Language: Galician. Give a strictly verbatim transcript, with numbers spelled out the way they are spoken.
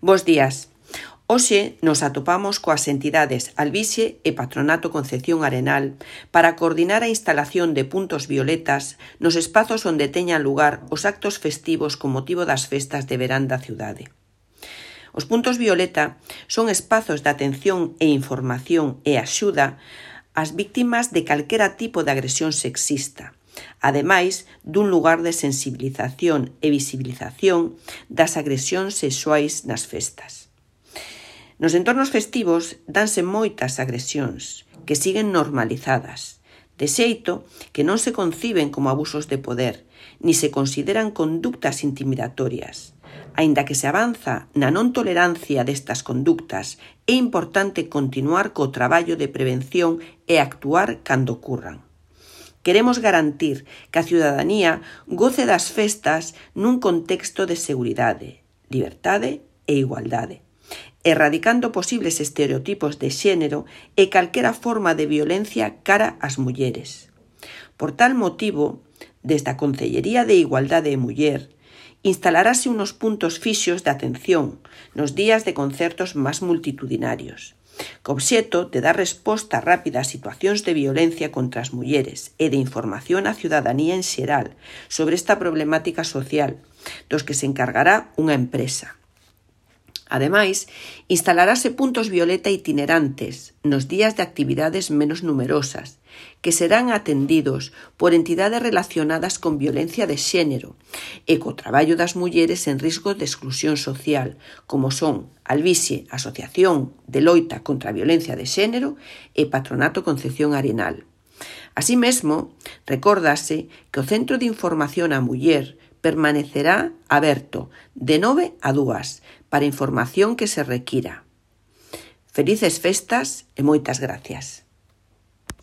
Bos días. Hoxe nos atopamos coas entidades Albixe e Patronato Concepción Arenal para coordinar a instalación de puntos violetas nos espazos onde teñan lugar os actos festivos con motivo das festas de verán da cidade. Os puntos violeta son espazos de atención e información e axuda ás víctimas de calquera tipo de agresión sexista, ademais dun lugar de sensibilización e visibilización das agresións sexuais nas festas. Nos entornos festivos danse moitas agresións que siguen normalizadas, de xeito que non se conciben como abusos de poder, ni se consideran conductas intimidatorias. Aínda que se avanza na non tolerancia destas conductas, é importante continuar co traballo de prevención e actuar cando ocurran. Queremos garantir que a ciudadanía goce das festas nun contexto de seguridade, liberdade e igualdade, erradicando posibles estereotipos de xénero e calquera forma de violencia cara ás mulleres. Por tal motivo, desde a Concellería de Igualdade e Muller, instalarase unos puntos fixos de atención nos días de concertos máis multitudinarios, co obxeto de dar resposta rápida a situacións de violencia contra as mulleres e de información á ciudadanía en xeral sobre esta problemática social, dos que se encargará unha empresa. Ademais, instalarase puntos violeta itinerantes nos días de actividades menos numerosas, que serán atendidos por entidades relacionadas con violencia de xénero e co traballo das mulleres en risco de exclusión social, como son Albixe, Asociación de Loita contra a Violencia de Xénero e Patronato Concepción Arenal. Así mesmo, recórdase que o Centro de Información á Muller permanecerá aberto de nove a dúas para información que se requira. Felices festas e moitas gracias.